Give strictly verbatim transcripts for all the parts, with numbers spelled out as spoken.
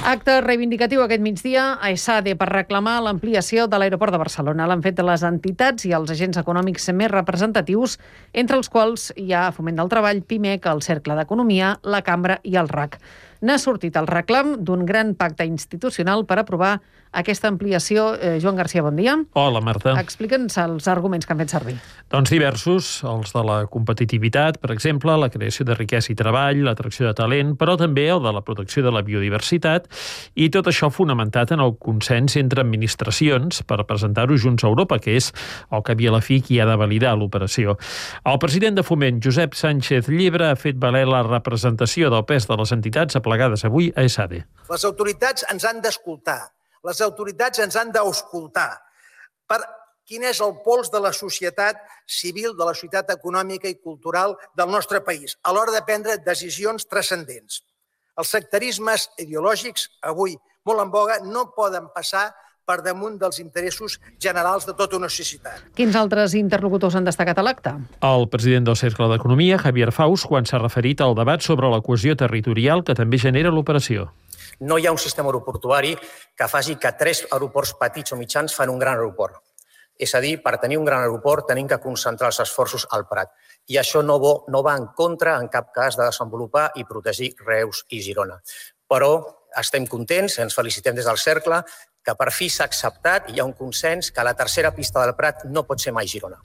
Acte reivindicatiu aquest migdia a ESADE per reclamar l'ampliació de l'aeroport de Barcelona. L'han fet les entitats i els agents econòmics més representatius, entre els quals hi ha Foment del Treball, PIMEC, el Cercle d'Economia, la Cambra i el R A C. N'ha sortit el reclam d'un gran pacte institucional per aprovar aquesta ampliació. Eh, Joan Garcia, bon dia. Hola, Marta. Explica'ns els arguments que han fet servir. Doncs diversos, els de la competitivitat, per exemple, la creació de riquesa i treball, l'atracció de talent, però també el de la protecció de la biodiversitat, i tot això fonamentat en el consens entre administracions per presentar-ho junts a Europa, que és el que havia la fi qui ha de validar l'operació. El president de Foment, Josep Sánchez Llebre, ha fet valer la representació del pes de les entitats aplegades avui a ESADE. Les autoritats ens han d'escoltar, les autoritats ens han d'auscultar per quin és el pols de la societat civil, de la societat econòmica i cultural del nostre país, a l'hora de prendre decisions transcendents. Els sectarismes ideològics, avui molt en voga, no poden passar per damunt dels interessos generals de tota una societat. Quins altres interlocutors han destacat a l'acte? El president del Cercle d'Economia, Javier Faus, quan s'ha referit al debat sobre la cohesió territorial que també genera l'operació. No hi ha un sistema aeroportuari que faci que tres aeroports petits o mitjans fan un gran aeroport. És a dir, per tenir un gran aeroport tenim que concentrar els esforços al Prat. I això no, bo, no va en contra, en cap cas, de desenvolupar i protegir Reus i Girona. Però estem contents, ens felicitem des del Cercle, que per fi s'ha acceptat i hi ha un consens que la tercera pista del Prat no pot ser mai Girona.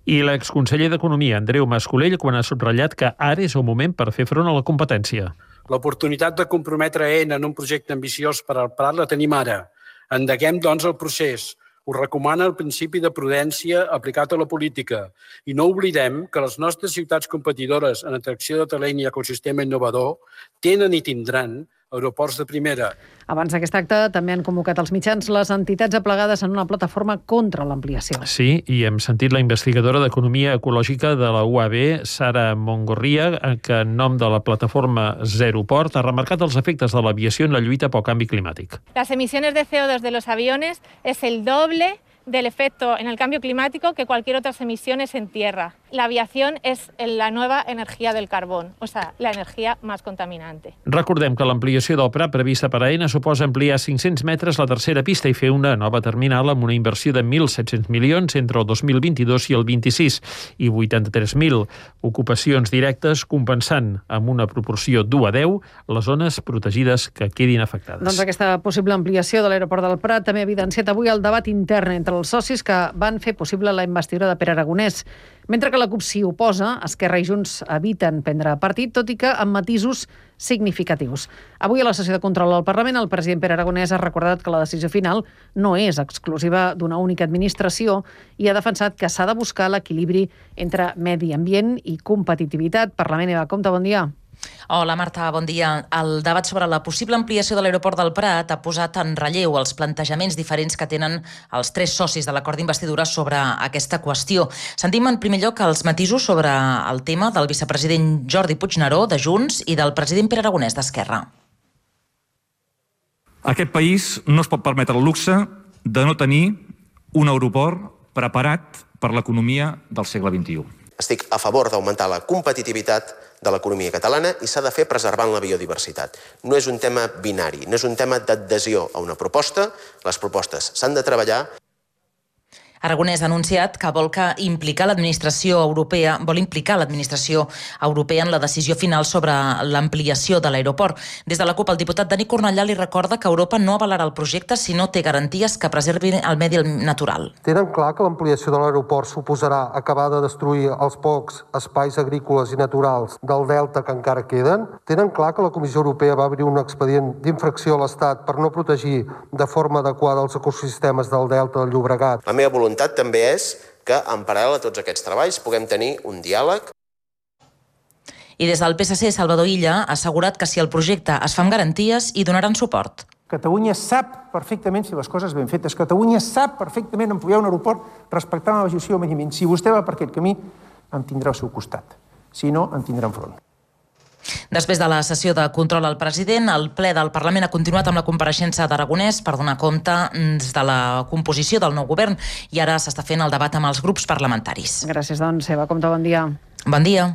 I l'exconseller d'Economia, Andreu Mas-Colell, quan ha subratllat que ara és el moment per fer front a la competència. L'oportunitat de comprometre Aena en un projecte ambiciós per al Prat la tenim ara. Endeguem, doncs, el procés. Ho recomana el principi de prudència aplicat a la política. I no oblidem que les nostres ciutats competidores en atracció de talent i ecosistema innovador tenen i tindran aeroports de primera. Abans d'aquest acte també han convocat els mitjans les entitats aplegades en una plataforma contra l'ampliació. Sí, i hem sentit la investigadora d'Economia Ecològica de la U A B, Sara Mongorria, que en nom de la plataforma Zeroport ha remarcat els efectes de l'aviació en la lluita pel canvi climàtic. Las emisiones de C O dos de los aviones es el doble del efecto en el cambio climático que cualquier otras emisiones en tierra. La aviación es la nueva energía del carbón, o sea, la energía más contaminante. Recordem que l'ampliació del Prat prevista per Aena suposa ampliar cinc-cents metres la tercera pista i fer una nova terminal amb una inversió de mil set-cents milions entre el dos mil vint-i-dos i el vint-i-sis i vuitanta-tres mil ocupacions directes, compensant amb una proporció d'u a deu les zones protegides que quedin afectades. Doncs aquesta possible ampliació de l'aeroport del Prat també ha evidenciat avui el debat intern entre els socis que van fer possible la investidura de Pere Aragonès. Mentre que la CUP s'hi oposa, Esquerra i Junts eviten prendre partit, tot i que amb matisos significatius. Avui a la sessió de control al Parlament, el president Pere Aragonès ha recordat que la decisió final no és exclusiva d'una única administració i ha defensat que s'ha de buscar l'equilibri entre medi ambient i competitivitat. Parlament, Eva Compte, bon dia. Hola, Marta, bon dia. El debat sobre la possible ampliació de l'aeroport del Prat ha posat en relleu els plantejaments diferents que tenen els tres socis de l'acord d'investidura sobre aquesta qüestió. Sentim en primer lloc els matisos sobre el tema del vicepresident Jordi Puigneró, de Junts, i del president Pere Aragonès, d'Esquerra. Aquest país no es pot permetre el luxe de no tenir un aeroport preparat per l'economia del segle vint-i-u. Estic a favor d'augmentar la competitivitat de l'economia catalana i s'ha de fer preservant la biodiversitat. No és un tema binari, no és un tema d'adhesió a una proposta. Les propostes s'han de treballar. Aragonès ha anunciat que vol que implicar l'administració europea, vol implicar l'administració europea en la decisió final sobre l'ampliació de l'aeroport. Des de la CUP, el diputat Dani Cornellà li recorda que Europa no avalarà el projecte si no té garanties que preservi el medi natural. Tenen clar que l'ampliació de l'aeroport suposarà acabar de destruir els pocs espais agrícoles i naturals del delta que encara queden? Tenen clar que la Comissió Europea va obrir un expedient d'infracció a l'Estat per no protegir de forma adequada els ecosistemes del delta del Llobregat? La meva voluntat La voluntat també és que, en paral·lel a tots aquests treballs, puguem tenir un diàleg. I des del P S C, Salvador Illa ha assegurat que si el projecte es fa amb garanties, hi donaran suport. Catalunya sap perfectament si les coses ben fetes. Catalunya sap perfectament ampliar un aeroport respectant la legislació de mediament. Si vostè va per aquest camí, em tindrà al seu costat. Si no, em tindrà enfront. Després de la sessió de control al president, el ple del Parlament ha continuat amb la compareixença d'Aragonès per donar compte de la composició del nou govern i ara s'està fent el debat amb els grups parlamentaris. Gràcies, doncs, Eva Compte, bon dia. Bon dia.